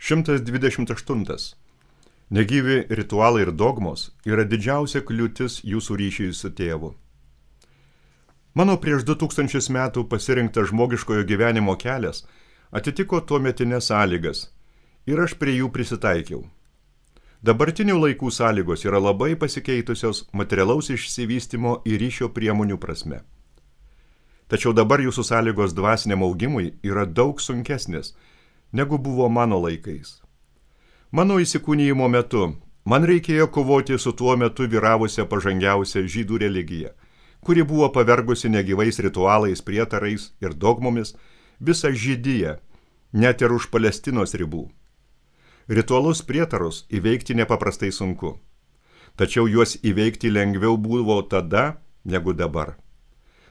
128. Negyvi ritualai ir dogmos yra didžiausia kliūtis jūsų ryšiui su tėvu. Mano prieš 2000 metų pasirinktas žmogiškojo gyvenimo kelias atitiko tuometinės sąlygas ir aš prie jų prisitaikiau. Dabartinių laikų sąlygos yra labai pasikeitusios materialaus išsivystymo ir ryšio priemonių prasme. Tačiau dabar jūsų sąlygos dvasiniam augimui yra daug sunkesnės, negu buvo mano laikais. Mano įsikūnijimo metu man reikėjo kovoti su tuo metu vyravusia pažangiausia žydų religija, kuri buvo pavergusi negyvais ritualais, prietarais ir dogmomis visą žydiją, net ir už Palestinos ribų. Ritualus prietarus įveikti nepaprastai sunku, tačiau juos įveikti lengviau buvo tada, negu dabar.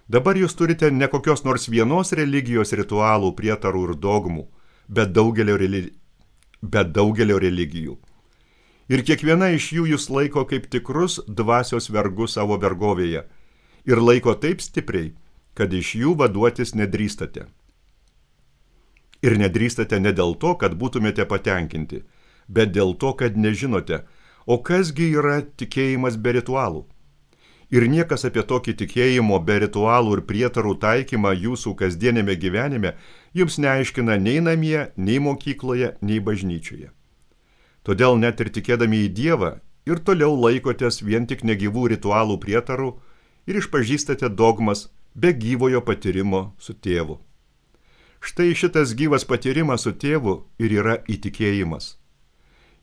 Dabar jūs turite ne kokios nors vienos religijos ritualų, prietarų ir dogmų, bet daugelio religijų. Ir kiekviena iš jų jūs laiko kaip tikrus dvasios vergus savo vergovėje ir laiko taip stipriai, kad iš jų vaduotis nedrįstate. Ir nedrįstate ne dėl to, kad būtumėte patenkinti, bet dėl to, kad nežinote, o kasgi yra tikėjimas be ritualų. Ir niekas apie tokį tikėjimo be ritualų ir prietarų taikymą jūsų kasdienėme gyvenime jums neaiškina nei namie, nei mokykloje, nei bažnyčioje. Todėl net ir tikėdami į Dievą ir toliau laikotės vien tik negyvų ritualų prietarų ir išpažįstate dogmas be gyvojo patyrimo su tėvu. Štai šitas gyvas patyrimas su tėvu ir yra įtikėjimas.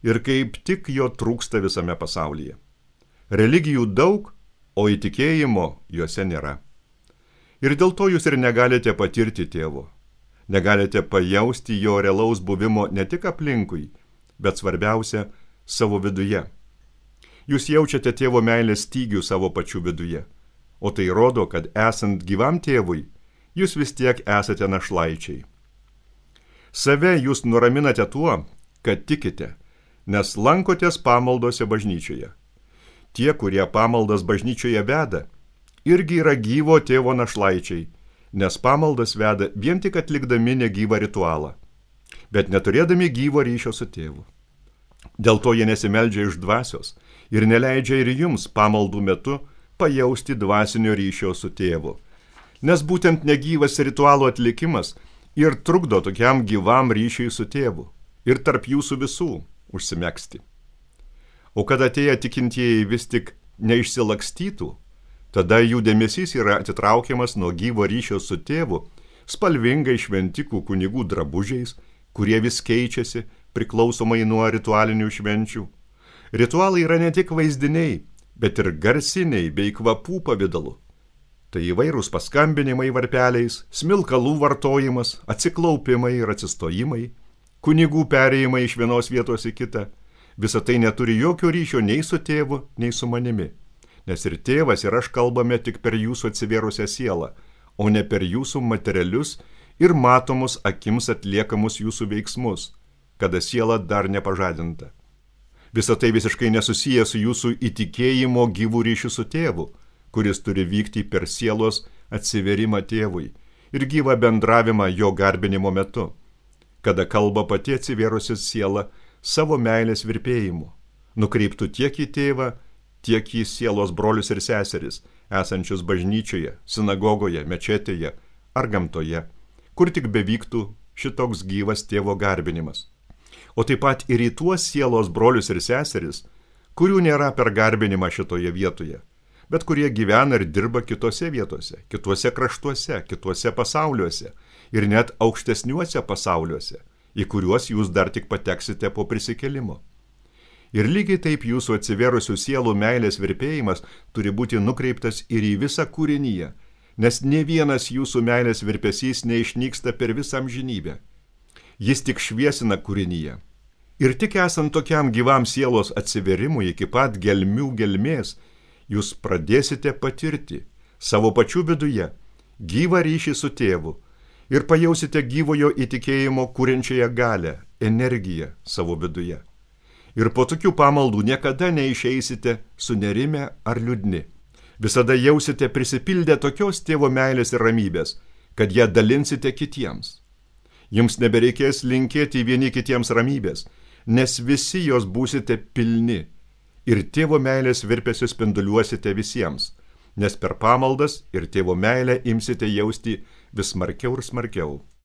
Ir kaip tik jo trūksta visame pasaulyje. Religijų daug, o įtikėjimo juose nėra. Ir dėl to jūs ir negalite patirti tėvo. Negalite pajausti jo realaus buvimo ne tik aplinkui, bet svarbiausia savo viduje. Jūs jaučiate tėvo meilės stygių savo pačių viduje, o tai rodo, kad esant gyvam tėvui, jūs vis tiek esate našlaičiai. Save jūs nuraminate tuo, kad tikite, nes lankotės pamaldose bažnyčioje. Tie, kurie pamaldas bažnyčioje veda, irgi yra gyvo tėvo našlaičiai, nes pamaldas veda vien tik atlikdami negyvą ritualą, bet neturėdami gyvo ryšio su tėvu. Dėl to jie nesimeldžia iš dvasios ir neleidžia ir jums pamaldų metu pajausti dvasinio ryšio su tėvu, nes būtent negyvas ritualų atlikimas ir trukdo tokiam gyvam ryšiui su tėvu ir tarp jūsų visų užsimegzti. O kad atėję tikintieji vis tik neišsilakstytų, tada jų dėmesys yra atitraukiamas nuo gyvo ryšio su tėvu spalvingai šventikų kunigų drabužiais, kurie vis keičiasi priklausomai nuo ritualinių švenčių. Ritualai yra ne tik vaizdiniai, bet ir garsiniai bei kvapų pavidalu. Tai įvairūs paskambinimai varpeliais, smilkalų vartojimas, atsiklaupimai ir atsistojimai, kunigų perėjimai iš vienos vietos į kitą. Visa tai neturi jokio ryšio nei su tėvu, nei su manimi, nes ir tėvas ir aš kalbame tik per jūsų atsivėrusią sielą, o ne per jūsų materialius ir matomus akims atliekamus jūsų veiksmus, kada siela dar nepažadinta. Visa tai visiškai nesusiję su jūsų įtikėjimo gyvų ryšių su tėvu, kuris turi vykti per sielos atsiverimą tėvui ir gyvą bendravimą jo garbinimo metu, kada kalba pati atsivėrusi siela savo meilės virpėjimu, nukreiptų tiek į tėvą, tiek į sielos brolius ir seseris, esančius bažnyčioje, sinagogoje, mečetėje ar gamtoje, kur tik bevyktų šitoks gyvas tėvo garbinimas. O taip pat ir į tuos sielos brolius ir seseris, kurių nėra per garbinimą šitoje vietoje, bet kurie gyvena ir dirba kitose vietose, kituose kraštuose, kituose pasauliuose ir net aukštesniuose pasauliuose, į kuriuos jūs dar tik pateksite po prisikėlimo. Ir lygiai taip jūsų atsiverusių sielų meilės virpėjimas turi būti nukreiptas ir į visą kūrinyje, nes ne vienas jūsų meilės virpesys neišnyksta per visą amžinybę. Jis tik šviesina kūrinyje. Ir tik esant tokiam gyvam sielos atsiverimui iki pat gelmių gelmės, jūs pradėsite patirti savo pačių viduje gyvą ryšį su tėvu, ir pajausite gyvojo įtikėjimo kuriančiąją galę, energiją savo viduje. Ir po tokių pamaldų niekada neišeisite sunerimę ar liūdni. Visada jausite prisipildę tokios tėvo meilės ir ramybės, kad ją dalinsite kitiems. Jums nebereikės linkėti vieni kitiems ramybės, nes visi jos būsite pilni ir tėvo meilės virpesiu spinduliuosite visiems, nes per pamaldas ir tėvo meilę imsite jausti vis smarkiau ir smarkiau.